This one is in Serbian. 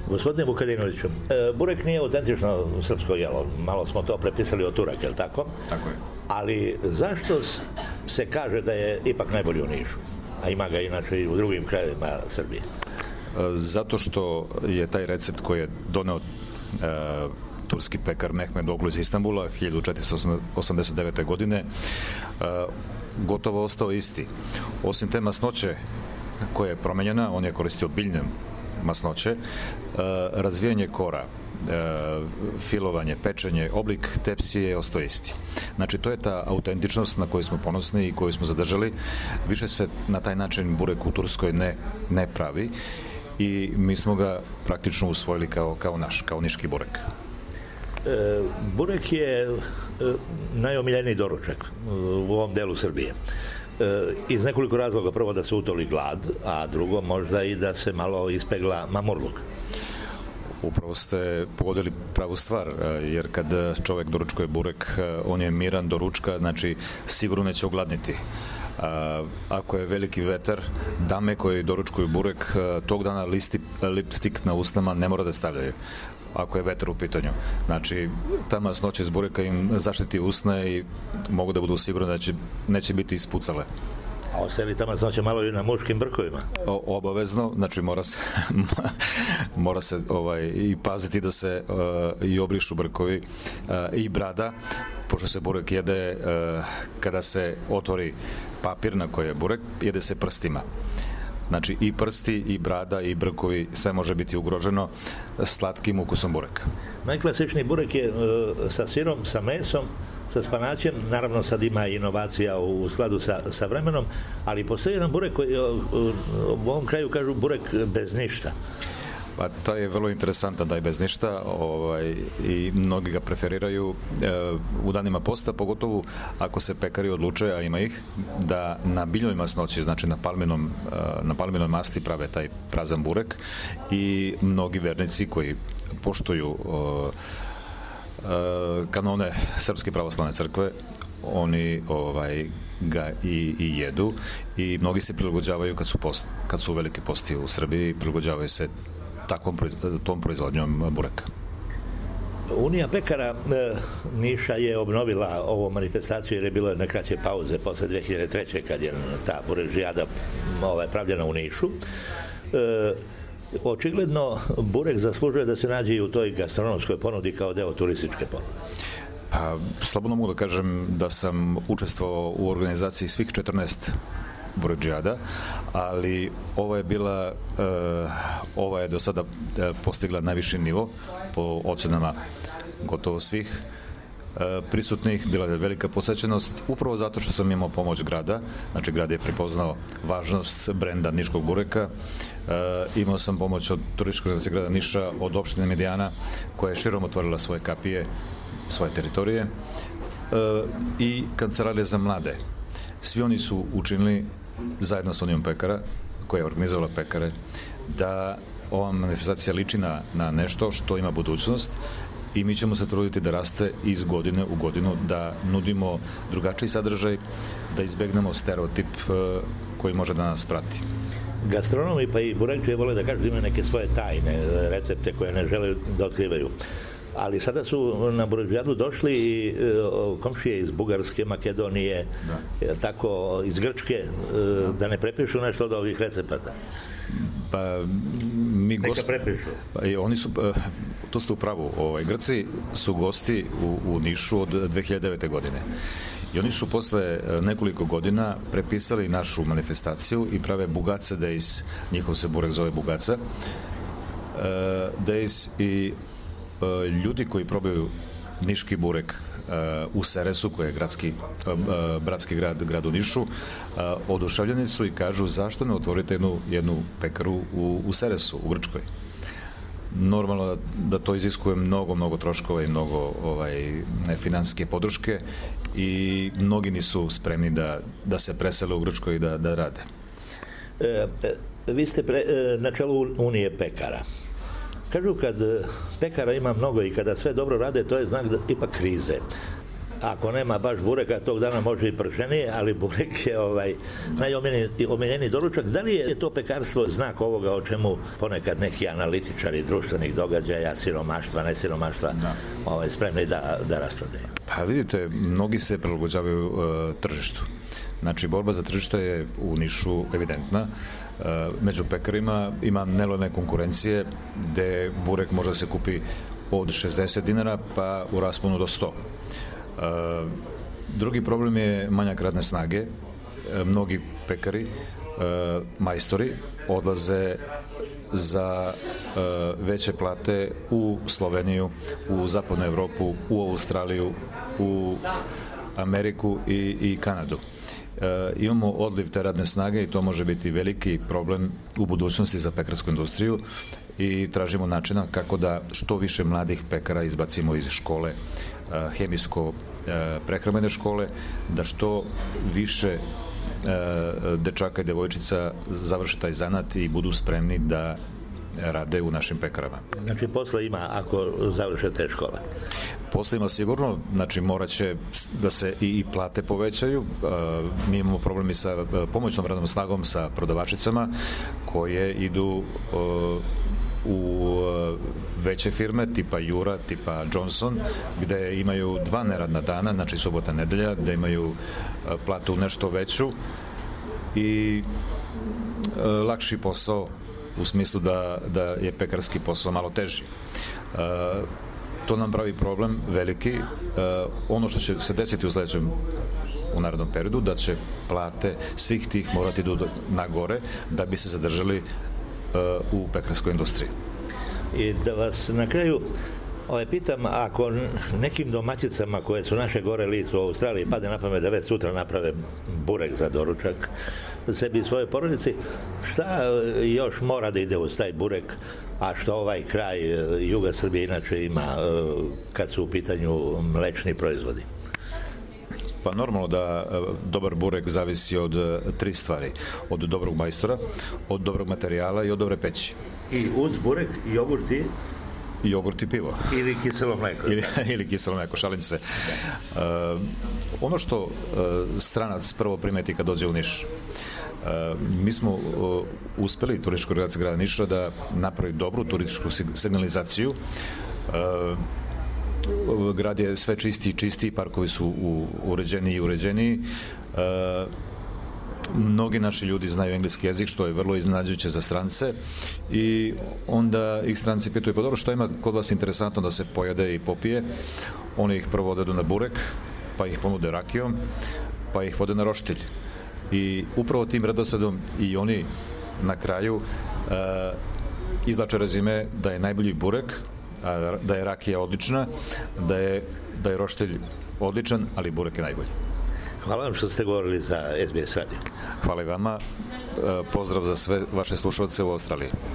Gospodine Vukadinoviću, burek nije autentično srpsko jelo. Malo smo to prepisali od Turaka, je li tako? Tako je. Ali zašto se kaže da je ipak najbolji u Nišu? A ima ga inače i u drugim krajevima Srbije. Zato što je taj recept koji je doneo turski pekar Mehmed Oglu iz Istanbula 1489. godine gotovo ostao isti. Osim te masnoće koja je promenjena, on je koristio biljne masnoće, razvijanje kora, filovanje, pečenje, oblik tepsije je ostao isti. Znači, to je ta autentičnost na koju smo ponosni i koju smo zadržali. Više se na taj način burek u Turskoj ne pravi i mi smo ga praktično usvojili kao naš, kao niški burek. Burek je najomiljeniji doručak u ovom delu Srbije. Iz nekoliko razloga. Prvo da se utoli glad, a drugo možda i da se malo ispegla mamurluk. Upravo ste pogodili pravu stvar, jer kad čovek doručkuje burek, on je miran do ručka, znači sigurno neće ogladniti. Ako je veliki vetar, dame koje doručkuju burek, tog dana lipstik na usnama ne mora da stavljaju, ako je vetar u pitanju. Znači, ta masnoća iz bureka im zaštiti usne i mogu da budu sigurni da neće biti ispucale. A ostali ta masnoća malo i na muškim brkovima? Obavezno, znači mora se i paziti da se i obrišu brkovi i brada, pošto se burek jede kada se otvori papir na koji je burek, jede se prstima. Znači i prsti, i brada, i brkovi, sve može biti ugroženo slatkim ukusom bureka. Najklasičniji burek je sa sirom, sa mesom, sa spanaćem. Naravno sad ima inovacija u skladu sa vremenom, ali postoji jedan burek koji u ovom kraju kažu burek bez ništa. Pa to je vrlo interesantan da je bez ništa i mnogi ga preferiraju u danima posta, pogotovo ako se pekari odluče, a ima ih, da na biljnoj masnoći, znači na palminoj masti prave taj prazan burek i mnogi vernici koji poštuju kanone Srpske pravoslavne crkve, oni ga i jedu i mnogi se prilagođavaju kad su velike posti u Srbiji, prilagođavaju se tom proizvodnjom bureka. Unija pekara Niša je obnovila ovu manifestaciju jer je bilo jedne kraće pauze posle 2003. kad je ta burežijada pravljena u Nišu. Očigledno burek zaslužuje da se nađe i u toj gastronomskoj ponudi kao deo turističke ponude. Pa, slobodno mogu da kažem da sam učestvovao u organizaciji svih 14 buređijada, ali ova je do sada postigla najviši nivo po ocenama gotovo svih prisutnih. Bila je velika posećenost upravo zato što sam imao pomoć grada. Znači, grad je prepoznao važnost brenda niškog bureka. Imao sam pomoć od turističke organizacije grada Niša, od opštine Medijana, koja je širom otvorila svoje kapije, svoje teritorije, i Kancelarija za mlade. Svi oni su učinili zajedno sa Unijom pekara, koja je organizovala pekare, da ova manifestacija liči na nešto što ima budućnost i mi ćemo se truditi da raste iz godine u godinu, da nudimo drugačiji sadržaj, da izbegnemo stereotip koji može da nas prati. Gastronomi pa i burekčije vole da kažu da imaju neke svoje tajne recepte koje ne žele da otkrivaju. Ali sada su na burežijadu došli i komšije iz Bugarske, Makedonije, tako iz Grčke, da ne prepišu nešto od ovih recepata. Pa neka prepišu. Oni su, to ste u pravu, Grci su gosti u Nišu od 2009. godine. I oni su posle nekoliko godina prepisali našu manifestaciju i prave Bugaca Days, njihov se burek zove Bugaca Days, i ljudi koji probaju niški burek u Seresu, koji je bratski grad u Nišu, oduševljeni su i kažu zašto ne otvorite jednu pekaru u Seresu, u Grčkoj. Normalno da to iziskuje mnogo troškova i mnogo finansijske podrške i mnogi nisu spremni da se presele u Grčkoj i da rade. Vi ste na čelu Unije pekara. Kažu kad pekara ima mnogo i kada sve dobro rade, to je znak da ipak krize. ako nema baš bureka, tog dana može i pršenije, ali burek je najomiljeniji doručak. Da li je to pekarstvo znak ovoga o čemu ponekad neki analitičari društvenih događaja, siromaštva, nesiromaštva, spremni da raspravljaju? Pa vidite, mnogi se prilagođavaju tržištu. Znači, borba za tržište je u Nišu evidentna. Među pekarima ima nelojalne konkurencije gde burek može da se kupi od 60 dinara pa u rasponu do 100. Drugi problem je manjak radne snage. Mnogi pekari, majstori, odlaze za veće plate u Sloveniju, u zapadnu Evropu, u Australiju, u Ameriku i Kanadu. Imamo odliv te radne snage i to može biti veliki problem u budućnosti za pekarsku industriju i tražimo načina kako da što više mladih pekara izbacimo iz škole, hemijsko-prehrambene škole, da što više dečaka i devojčica završe taj zanat i budu spremni da rade u našim pekarama. Znači, posla ima ako završe te škole? Posla ima sigurno, znači morat će da se i plate povećaju. Mi imamo problemi sa pomoćnom radnom snagom, sa prodavačicama koje idu u veće firme tipa Jura, tipa Johnson, gde imaju 2 neradna dana, znači subota, nedelja, gde imaju platu nešto veću i lakši posao u smislu da je pekarski posao malo teži. To nam pravi problem veliki. Ono što će se desiti u narednom periodu, da će plate svih tih morati idu na gore da bi se zadržali u pekarskoj industriji. I da vas na kraju pitam, ako nekim domaćicama koje su naše gore lice u Australiji pade na pamet da već sutra naprave burek za doručak sebi i svoje porodici, šta još mora da ide uz taj burek, a što ovaj kraj juga Srbije inače ima kad su u pitanju mlečni proizvodi? Pa normalno da dobar burek zavisi od 3 stvari. Od dobrog majstora, od dobrog materijala i od dobre peći. I uz burek jogurt i pivo. Ili kiselo mleko. Ili kiselo mleko, šalim se. Ono što stranac prvo primeti kad dođe u Niš, mi smo uspeli, turistička organizacija grada Niša, da napravi dobru turističku signalizaciju. Grad je sve čistiji i čistiji, parkovi su uređeniji i uređeniji. Mnogi naši ljudi znaju engleski jezik, što je vrlo iznenađujuće za strance, i onda ih stranci pitaju, pa dobro, šta ima kod vas interesantno da se pojede i popije? Oni ih prvo odvedu na burek, pa ih ponude rakijom, pa ih vode na roštilj. I upravo tim redosledom i oni na kraju izvlače rezime da je najbolji burek, da je rakija odlična, da je roštilj odličan, ali burek je najbolji. Hvala vam što ste govorili za SBS radio. Hvala i vama. Pozdrav za sve vaše slušalce u Australiji.